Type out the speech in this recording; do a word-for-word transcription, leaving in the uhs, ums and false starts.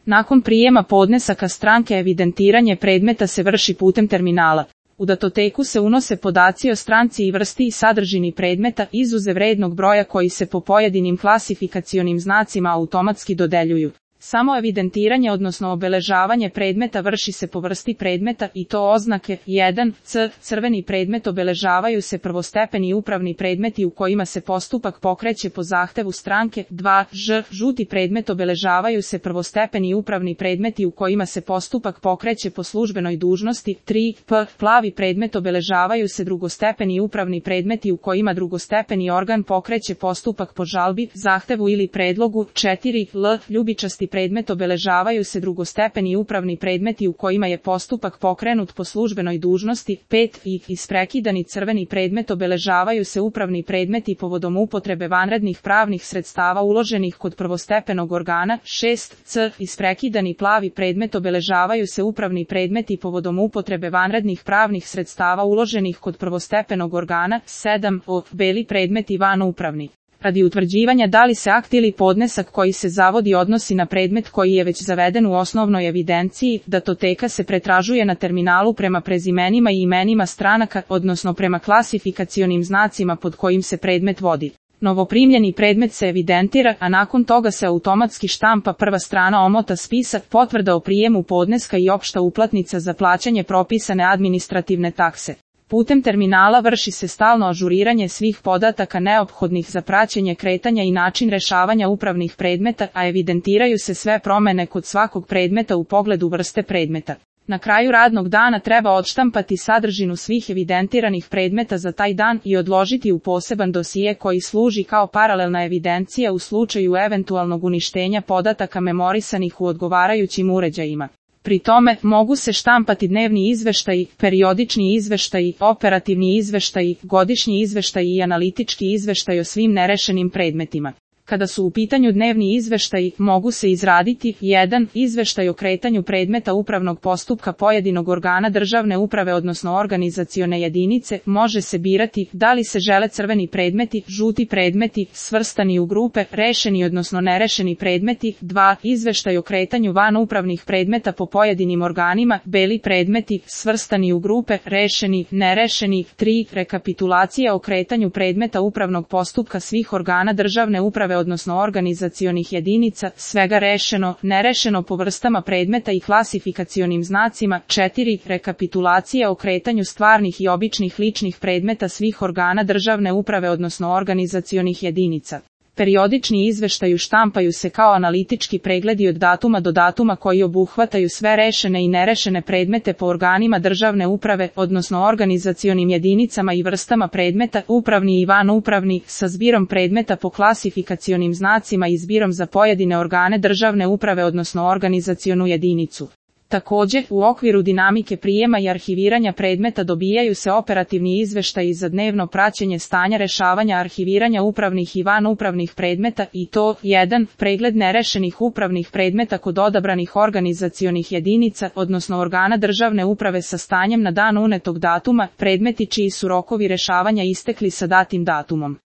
Nakon prijema podnesaka stranke evidentiranje predmeta se vrši putem terminala. U datoteku se unose podaci o stranci i vrsti i sadržini predmeta, izuzev rednog broja koji se po pojedinim klasifikacionim znacima automatski dodeljuju. Samo evidentiranje odnosno obeležavanje predmeta vrši se po vrsti predmeta i to oznake jedan C. Crveni predmet obeležavaju se prvostepeni upravni predmeti u kojima se postupak pokreće po zahtevu stranke. dva Ž. Žuti predmet obeležavaju se prvostepeni upravni predmeti u kojima se postupak pokreće po službenoj dužnosti. tri P. Plavi predmet obeležavaju se drugostepeni upravni predmeti u kojima drugostepeni organ pokreće postupak po žalbi, zahtevu ili predlogu. četiri L. Ljubičasti predmet obeležavaju se drugostepeni upravni predmeti u kojima je postupak pokrenut po službenoj dužnosti. pet I. Isprekidani crveni predmet obeležavaju se upravni predmeti povodom upotrebe vanrednih pravnih sredstava uloženih kod prvostepenog organa. šest C. Isprekidani plavi predmet obeležavaju se upravni predmeti povodom upotrebe vanrednih pravnih sredstava uloženih kod prvostepenog organa. sedam O. Beli predmeti vanupravni. Radi utvrđivanja da li se akt ili podnesak koji se zavodi odnosi na predmet koji je već zaveden u osnovnoj evidenciji, datoteka se pretražuje na terminalu prema prezimenima i imenima stranaka, odnosno prema klasifikacionim znacima pod kojim se predmet vodi. Novoprimljeni predmet se evidentira, a nakon toga se automatski štampa prva strana omota spisa, potvrda o prijemu podneska i opšta uplatnica za plaćanje propisane administrativne takse. Putem terminala vrši se stalno ažuriranje svih podataka neophodnih za praćenje kretanja i način rešavanja upravnih predmeta, a evidentiraju se sve promene kod svakog predmeta u pogledu vrste predmeta. Na kraju radnog dana treba odštampati sadržinu svih evidentiranih predmeta za taj dan i odložiti u poseban dosije koji služi kao paralelna evidencija u slučaju eventualnog uništenja podataka memorisanih u odgovarajućim uređajima. Pri tome, mogu se štampati dnevni izveštaji, periodični izveštaji, operativni izveštaji, godišnji izveštaji i analitički izveštaj o svim nerešenim predmetima. Kada su u pitanju dnevni izveštaji, mogu se izraditi jedan Izveštaj o kretanju predmeta upravnog postupka pojedinog organa državne uprave odnosno organizacione jedinice, može se birati da li se žele crveni predmeti, žuti predmeti, svrstani u grupe, rešeni odnosno nerešeni predmeti. dva Izveštaj o kretanju van upravnih predmeta po pojedinim organima, beli predmeti, svrstani u grupe, rešeni, nerešeni. tri Rekapitulacija o kretanju predmeta upravnog postupka svih organa državne uprave odnosno organizacionih jedinica, svega rešeno, nerešeno po vrstama predmeta i klasifikacionim znacima. četiri Rekapitulacija o kretanju stvarnih i običnih ličnih predmeta svih organa državne uprave odnosno organizacionih jedinica. Periodični izveštaji štampaju se kao analitički pregledi od datuma do datuma koji obuhvataju sve rešene i nerešene predmete po organima državne uprave, odnosno organizacionim jedinicama i vrstama predmeta, upravni i vanupravni, sa zbirom predmeta po klasifikacionim znacima i zbirom za pojedine organe državne uprave odnosno organizacionu jedinicu. Takođe, u okviru dinamike prijema i arhiviranja predmeta dobijaju se operativni izveštaji za dnevno praćenje stanja rešavanja arhiviranja upravnih i vanupravnih predmeta i to jedan Pregled nerešenih upravnih predmeta kod odabranih organizacionih jedinica, odnosno organa državne uprave sa stanjem na dan unetog datuma, predmeti čiji su rokovi rešavanja istekli sa datim datumom.